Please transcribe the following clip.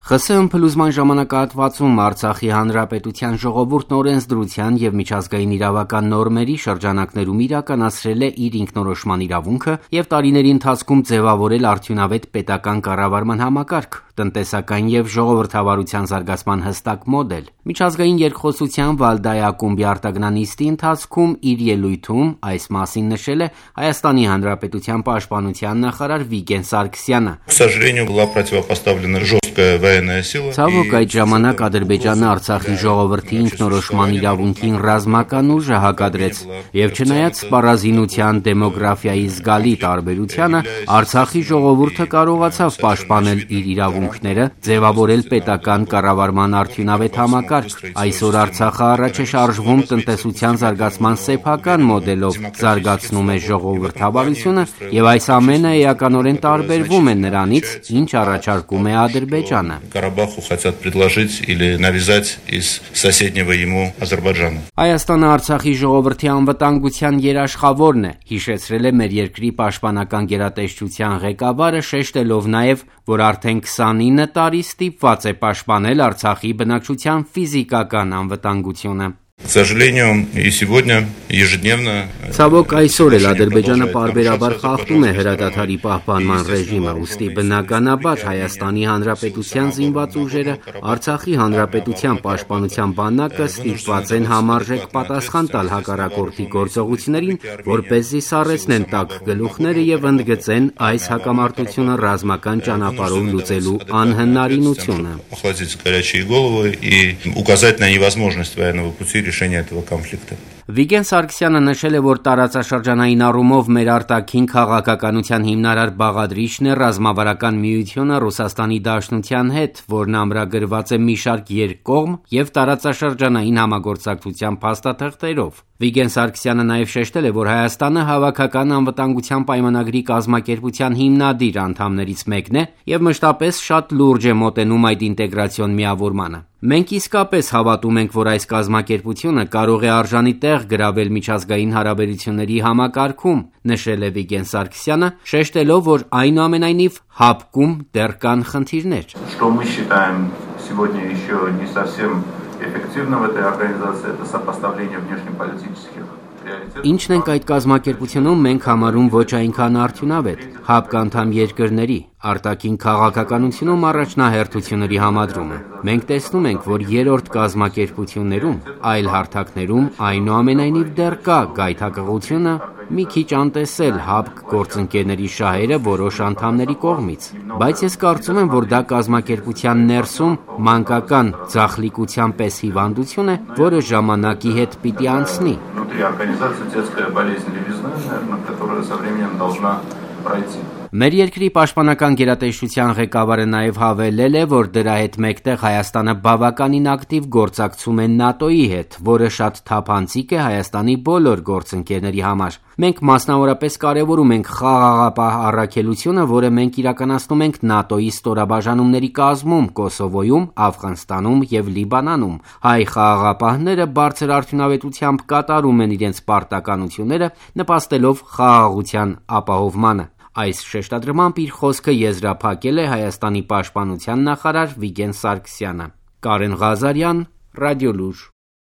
ԽՍՀՄ փլուզման ժամանակահատվածում Արցախի Հանրապետության ժողովուրդն օրենսդրության և միջազգային իրավական նորմերի շրջանակներում իրականացրել է իր ինքնորոշման իրավունքը և տարիների ընթացքում ձևավորել արդյունավետ պետական կառավարման համակարգ, տնտեսական և ժողովրդավարության զարգացման հստակ մոդել։ Միջազգային երկխոսության Վալդայի ակումբի արտագնանիստի ընթացքում իր ելույթում այս մասին նշել է Հայաստանի Հանրապետության պաշտպանության նախարար Վիգեն Սարգսյանը։ Ցավոք, այդ ժամանակ Ադրբեջանը Արցախի ժողովրդի ինքնորոշման իրավունքին ռազմական ուժը հակադրեց, և չնայած սպառազինության դեմոգրաֆիայի զգալի տարբերությանը, Արցախի ժողովուրդը կարողացավ պաշտպանել իր իրավունքները, ձևավորել պետական կառավարման արդյունավետ համակարգ։ Այսօր Արցախը առաջ է շարժվում տնտեսության զարգացման սեփական մոդելով, զարգացնում է ժողովրդավարությունը, և այս ամենը էականորեն տարբերվում է նրանից, ինչ առաջարկում է Ադրբեջանը։ Հայաստանը Արցախի ժողովրդի անվտանգության երաշխավորն է, հիշեցրել է մեր երկրի պաշտպանական գերատեսչության ղեկավարը, շեշտելով նաև, որ արդեն 29 տարի ստիպված է պաշտպանել Արցախի բնակչության ֆիզիկական անվտանգությունը։ Ցավոք, այսօր էլ Ադրբեջանը պարբերաբար խախտում է հրադադարի պահպանման ռեժիմը, ուստի բնականաբար Հայաստանի Հանրապետության զինված ուժերը, Արցախի Հանրապետության պաշտպանության բանակը ստիպված են համարժեք պատասխան տալ հակառակորդի գործողություններին, որպեսզի սառեցնեն տաք գլուխները և ընդգծեն այս հակամարտությունը ռազմական ճանապարհով լուծելու անհնարինությունը։ Վիգեն Սարգսյանը նշել է, որ տարածաշրջանային առումով մեր արտաքին քաղաքականության հիմնարար բաղադրիչն է ռազմավարական միությունը Ռուսաստանի Դաշնության հետ, որն ամրագրված է մի շարք երկկողմ և տարածաշրջանային համագործակցության փաստաթղթերով։ Վիգեն Սարգսյանը նաև շեշտել է, որ Հայաստանը հավաքական անվտանգության պայմանագրի կազմակերպության հիմնադիր անդամներից մեկն է և մշտապես շատ լուրջ է մոտենում այդ ինտեգրացիոն միավորմանը։ Մենք իսկապես հավատում ենք, որ այս կազմակերպությունը կարող է արժանի տեղ գրավել միջազգային հարաբերությունների համակարգում, նշել է Վիգեն Սարգսյանը, շեշտելով, որ այնուամենայնիվ ՀԱՊԿ-ում դեռ կան խնդիրներ։ Ինչն ենք այդ կազմակերպությունում մենք համարում ոչ այնքան արդյունավետ, ՀԱՊԿ անդամ երկրների արտաքին քաղաքականությունում առաջնահերթությունների համադրումը։ Մենք տեսնում ենք, որ երրորդ կազմակերպություններում, այլ հարթակներում այնուամենայնիվ դեռ կա գայթակղությունը մի քիչ անտեսել ՀԱՊԿ գործընկերների շահերը որոշ անդամների կողմից։ Բայց ես կարծում եմ, որ դա կազմակերպության ներսում մանկական ձախլիկության պես հիվանդություն է, որը ժամանակի հետ պիտի անցնի։ Մեր երկրի պաշտպանական գերատեսչության ղեկավարը նաև հավելել է, որ դրա հետ մեկտեղ Հայաստանը բավականին ակտիվ գործակցում է ՆԱՏՕ-ի հետ, որը շատ թափանցիկ է Հայաստանի բոլոր գործընկերների համար։ Մենք մասնավորապես կարևորում ենք խաղաղապահ առաքելությունը, որը մենք իրականացնում ենք ՆԱՏՕ-ի ստորաբաժանումների կազմում Կոսովոյում, Աֆղանստանում և Լիբանանում։ Հայ խաղաղապահները բարձր արդյունավետությամբ կատարում են իրենց պարտականությունները, նպաստելով խաղաղության ապահովմանը։ Այս շեշտադրմամբ իր խոսքը եզրափակել է Հայաստանի պաշտպանության նախարար Վիգեն Սարգսյանը։ Կարեն Ղազարյան, Ռադիոլուր։